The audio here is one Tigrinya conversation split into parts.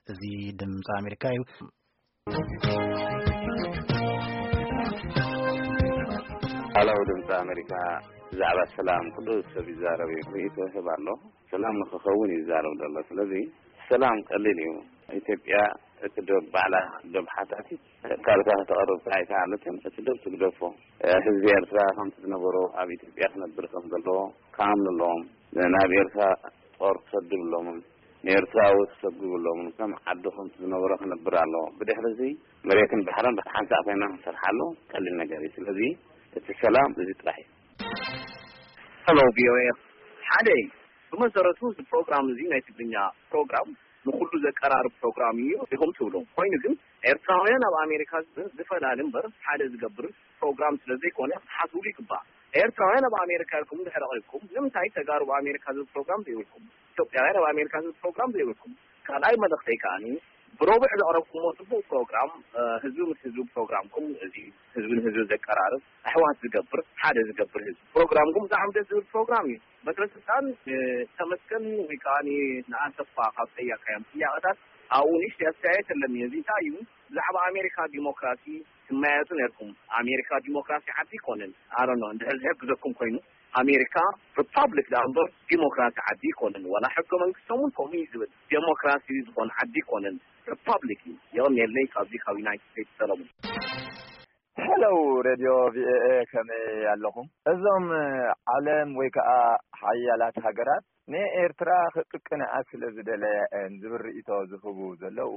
እዚ ድምፂ ኣሜሪካ እዩ። ሃለው ድምፂ ኣሜሪካ፣ ብዛዕባ ሰላም ኩሉ ሰብ ይዛረብ እዩ፣ ርእይቶ ይህብ ኣሎ። ሰላም ንክኸውን እዩ ዝዛረብ ዘሎ። ስለዚ ሰላም ቀሊል እዩ። ኢትዮጵያ እቲ ዶብ ባዕላ፣ ዶብ ሓታቲት ካልካ ከተቕርብ ኣይከኣለትን። እቲ ዶብ ትግደፎ። ህዝቢ ኤርትራ ከምቲ ዝነበሮ ኣብ ኢትዮጵያ ክነብር ከም ዘለዎ ክኣምኑ ኣለዎም። ናብ ኤርትራ ጦር ክሰዱ ኣለዎም። ንኤርትራዊ ክሰጉ ኣለዎም። ከም ዓዱ ከምቲ ዝነበሮ ክነብር ኣለዎ። ብድሕሪ እዚ መሬትን ባሕርን ብሓንሳእ ኮይና ክንሰርሓሉ ቀሊል ነገር እዩ። ስለዚ እቲ ሰላም እዚ ጥራሕ እዩ። ሄሎ ቪኦኤ፣ ሓደ እዩ። ብመሰረቱ እዚ ፕሮግራም እዚ ናይ ትግርኛ ፕሮግራም ንኹሉ ዘቀራርብ ፕሮግራም እዩ ኢኹም ትብሉ። ኮይኑ ግን ኤርትራውያን ኣብ ኣሜሪካ ዝብል ዝፈላሊ እምበር ሓደ ዝገብር ፕሮግራም ስለ ዘይኮነ ክትሓስብሉ ይግባእ። ኤርትራውያን ኣብ ኣሜሪካ ኢልኩም ድሕሪ ቀሪብኩም ንምንታይ ተጋሩ ኣብ ኣሜሪካ ዝብል ፕሮግራም ዘይብልኩም? ኢትዮጵያውያን ኣብ ኣሜሪካ ዝብል ፕሮግራም ዘይብልኩም? ካልኣይ መልእኽተይ ከኣኒ ብረቡዕ ዘቕረብኩሞ ጽቡቕ ፕሮግራም፣ ህዝቢ ምስ ህዝቢ ፕሮግራምኩም እዚ ህዝቢ ንህዝቢ ዘቀራርብ፣ ኣሕዋት ዝገብር፣ ሓደ ዝገብር ህዝቢ ፕሮግራምኩም ብጣዕሚ ደስ ዝብል ፕሮግራም እዩ። በትረ ስልጣን ተመስገን ወይ ከዓ ንኣሰፋ ካብ ጠያካዮም ጥያቄታት ኣብኡ ንእሽተይ ኣስተያየት ኣለኒ። እዚ እንታይ እዩ? ብዛዕባ ኣሜሪካ ዲሞክራሲ ትመያየጡ ነርኩም። ኣሜሪካ ዲሞክራሲ ዓዲ ይኮንን። ኣሮኖ እንድሕር ዝሕግዘኩም ኮይኑ ኣሜሪካ ሪፓብሊክ ዳ እምበር ዲሞክራሲ ዓዲ ይኮንን። ዋላ ሕገ መንግስቶም እውን ከምኡ እዩ ዝብል። ዲሞክራሲ ዝኾን ዓዲ ይኮንን፣ ሪፓብሊክ እዩ። የቐንየለይ። ካብዚ ካብ ዩናይትድ ስቴትስ ሰለሙን። ሄሎ ሬድዮ ቪኦኤ፣ ከመይ ኣለኹም? እዞም ዓለም ወይ ከዓ ሓያላት ሃገራት ንኤርትራ ክጥቅንኣ ስለ ዝደለያ እየን ዝብል ርእይቶ ዝህቡ ዘለዉ፣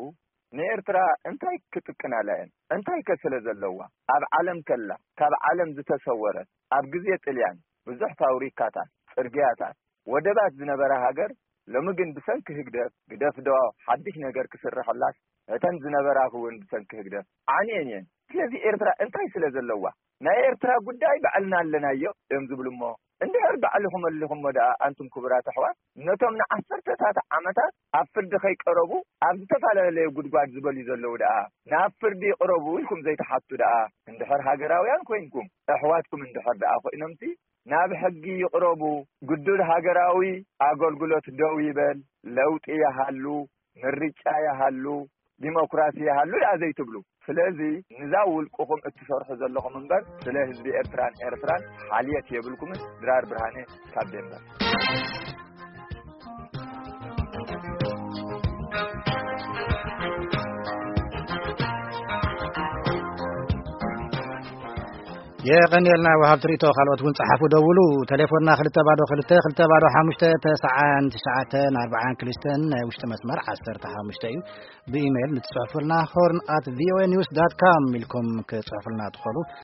ንኤርትራ እንታይ ክጥቅናላ እየን? እንታይ ከ ስለ ዘለዋ? ኣብ ዓለም ከላ፣ ካብ ዓለም ዝተሰወረት፣ ኣብ ግዜ ጥልያን ብዙሕ ፋብሪካታት፣ ጽርግያታት፣ ወደባት ዝነበራ ሃገር ሎሚ ግን ብሰንኪ ህግደፍ፣ ግደፍዶ ሓድሽ ነገር ክስርሐላስ እተን ዝነበራ እውን ብሰንኪ ህግደፍ ዓንየን እየን። ስለዚ ኤርትራ እንታይ ስለ ዘለዋ? ናይ ኤርትራ ጉዳይ ባዕልና ኣለናዮ እዮም ዝብሉ እሞ እንድሕር ባዕልኹም ኣሊኹሞ ደኣ ኣንቱም ክቡራት ኣሕዋት ነቶም ንዓሰርተታት ዓመታት ኣብ ፍርዲ ከይቀረቡ ኣብ ዝተፈላለየ ጉድጓድ ዝበልዩ ዘለዉ ደኣ ናብ ፍርዲ ይቕረቡ ኢልኩም ዘይትሓቱ ደኣ እንድሕር ሃገራውያን ኮይንኩም ኣሕዋትኩም እንድሕር ደኣ ኮይኖምሲ ናብ ሕጊ ይቕረቡ። ግዱድ ሃገራዊ ኣገልግሎት ደው ይበል፣ ለውጢ ይሃሉ፣ ምርጫ ይሃሉ፣ ዲሞክራሲ ይሃሉ ደኣ ዘይትብሉ። ስለዚ ንዛ ውልቅኹም እትሰርሑ ዘለኹም እምበር ስለ ህዝቢ ኤርትራን ኤርትራን ሓልየት የብልኩምን። ድራር ብርሃነ ካብ ዴንቨር። የቐንየልና ወሃብቲ ርእይቶ። ካልኦት እውን ጸሓፉ፣ ደውሉ። ቴሌፎንና ክልተ ባዶ ክልተ ክልተ ባዶ ሓሙሽተ ተስዓን ትሽዓተን ኣርባዓን ክልተን ናይ ውሽጢ መስመር ዓሰርተ ሓሙሽተ እዩ። ብኢሜይል ንትጽሕፉልና ሆርን ኣት ቪኦኤ ኒውስ ዳት ካም ኢልኩም ክጽሕፉልና ትኽእሉ።